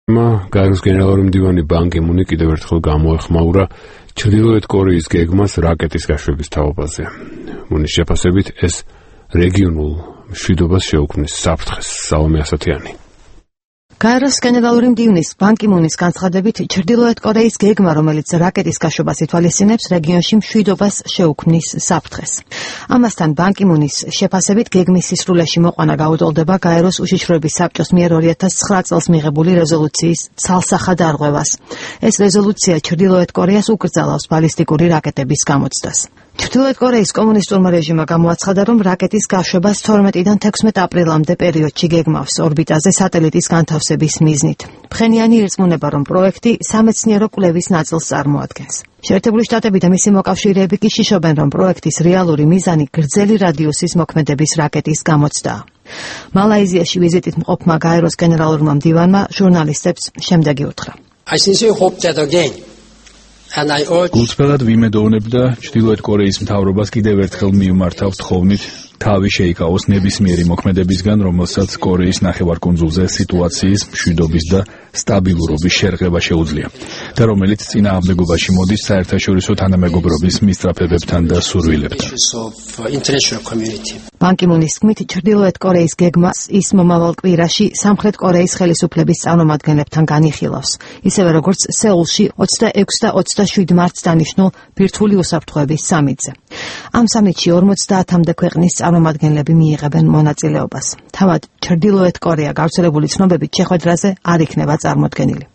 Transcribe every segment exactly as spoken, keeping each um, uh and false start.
გაეროს გენერალური მდივანი ბან კი მუნი კიდევ ერთხელ გამოეხმაურა ჩრდილოეთ კორეის გეგმას რაკეტის გაშვების თაობაზე. მუნის შეფასებით ეს რეგიონულ მშვიდობას შეუქმნის საფრთხეს. სალომე ასათიანი. გაეროს გენერალური მდივნის ბან კი მუნის განცხადებით ჩრდილოეთ კორეის გეგმა, რომელიც რაკეტის გაშვებას ითვალისწინებს, რეგიონში მშვიდობას შეუქმნის საფრთხეს. ამასთან ბან კი მუნის შეფასებით გეგმის სისრულეში მოყვანა გაუტოლდება გაეროს უშიშროების საბჭოს მიერ ორი ათას ცხრა წელს მიღებული რეზოლუციის ცალსახად არღვევას. ეს რეზოლუცია ჩრდილოეთ კორეას უკრძალავს ბალისტიკური რაკეტების გამოცდას. ჩრდილოეთ კორეის კომუნისტურმა რეჟიმმა გამოაცხადა, რომ რაკეტის გაშვებას თორმეტიდან თექვსმეტ აპრილამდე პერიოდში გეგმავს ორბიტაზე სატელიტის განთავსების მიზნით. ფხენიანი ირწმუნება, რომ პროექტი სამეცნიერო კვლევის ნაწილს წარმოადგენს. შეერთებული შტატები და მისი მოკავშირეები კი შიშობენ, რომ პროექტის რეალური მიზანი გრძელი რადიუსის მოქმედების რაკეტის გამოცდაა. მალაიზიაში ვიზიტით მყოფმა გაეროს გენერალურმა მდივანმა ჟურნალისტებს შემდეგი უთხრა. I sincerely hope that again გულწრფელად ვიმედოვნებ და ჩრდილოეთ კორეის მთავრობას კიდევ ერთხელ მივმართავ თხოვნით თავი შეიკავოს ნებისმიერი მოქმედებისგან, რომელსაც კორეის ნახევარკუნძულზე სიტუაციის მშვიდობის და სტაბილურობის შერღება შეუძლია და რომელიც წინააღმდეგობაში მოდის საერთაშორისო თანამეგობრობის მისწრაფებებთან და სურვილებთან. ბან კი მუნის თქმით, ჩრდილოეთ კორეის გეგმას ის მომავალ კვირაში სამხრეთ კორეის ხელისუფლების წარმომადგენლებთან განიხილავს, ისევე როგორც სეულში ოცდაექვსი და ოცდაშვიდი მარტს დანიშნულ ბირთვული უსაფრთხოების სამიტზე. ამ სამიტში ორმოცდაათამდე ქვეყნის წარმომადგენლები მიიღებენ მონაწილეობას. თავად ჩრდილოეთ კორეა გავრცელებული ცნობებით შეხვედრაზე არ იქნება წარმოდგენილი.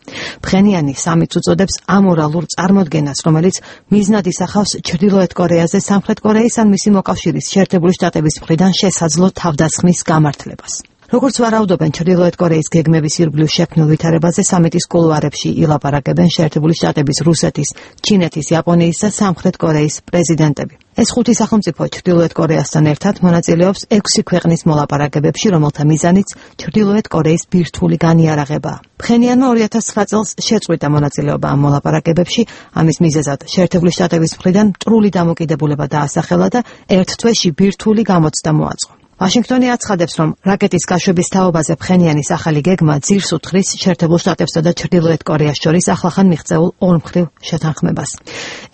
ფხენიანი სამიტს უწოდებს ამორალურ წარმოდგენას, რომელიც მიზნად ისახავს ჩრდილოეთ კორეაზე სამხრეთ კორეის ან მისი მოკავშირის შეერთებული შტატების მხრიდან შესაძლო თავდასხმის გამართლებას. როგორც ვარაუდობენ, ჩრდილოეთ კორეის გეგმების ირგვლივ შექმნილ ვითარებაზე სამიტის კულუარებში ილაპარაკებენ შეერთებული შტატების, რუსეთის, ჩინეთის, იაპონიის და სამხრეთ კორეის პრეზიდენტები. ეს ხუთი სახელმწიფო ჩრდილოეთ კორეასთან ერთად მონაწილეობს ექვსი ქვეყნის მოლაპარაკებებში, რომელთა მიზანიც ჩრდილოეთ კორეის ბირთვული განიარაღებაა. ფხენიანმა ორი ათას ცხრა წელს შეწყვიტა მონაწილეობა ამ მოლაპარაკებებში, ამის მიზეზად შეერთებული შტატების მხრიდან მტრული დამოკიდებულება დაასახელა და ერთ თვეში ბირთვული გამოცდა მოაწყო. ვაშინგტონი აცხადებს, რომ რაკეტის გაშვების თაობაზე ფხენიანის ახალი გეგმა ძირს უთხრის შეერთებულ შტატებსა და ჩრდილოეთ კორეას შორის ახლახან მიღწეულ ორმხრივ შეთანხმებას.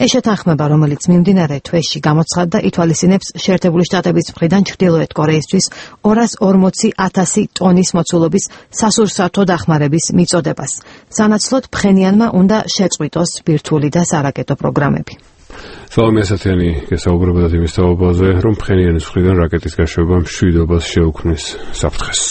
ეს შეთანხმება, რომელიც მიმდინარე თვეში გამოცხადდა, ითვალისწინებს შეერთებული შტატების მხრიდან ჩრდილოეთ კორეისთვის ორას ორმოცი ათასი ტონის მოცულობის სასურსათო დახმარების მიწოდებას. სანაცვლოდ ფხენიანმა უნდა შეწყვიტოს ბირთვული და სარაკეტო პროგრამები. სალომე ასათიანი გესაუბრებოდა იმის თაობაზე, რომ ფხენიანის მხრიდან რაკეტის გაშვება მშვიდობას შეუქმნის საფრთხეს.